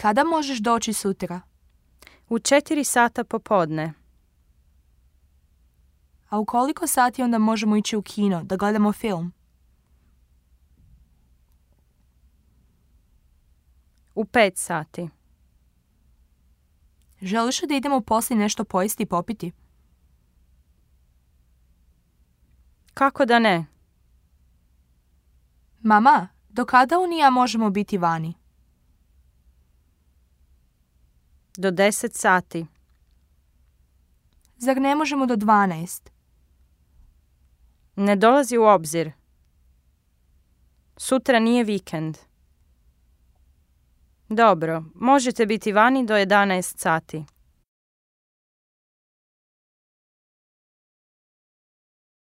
Kada možeš doći sutra? U 4 sata popodne. A u koliko sati onda možemo ići u kino da gledamo film? U 5 sati. Želiš li da idemo poslije nešto pojesti i popiti? Kako da ne? Mama, do kada Uni i ja možemo biti vani? Do 10 sati. Zar ne možemo do 12? Ne dolazi u obzir. Sutra nije vikend. Dobro, možete biti vani do 11 sati.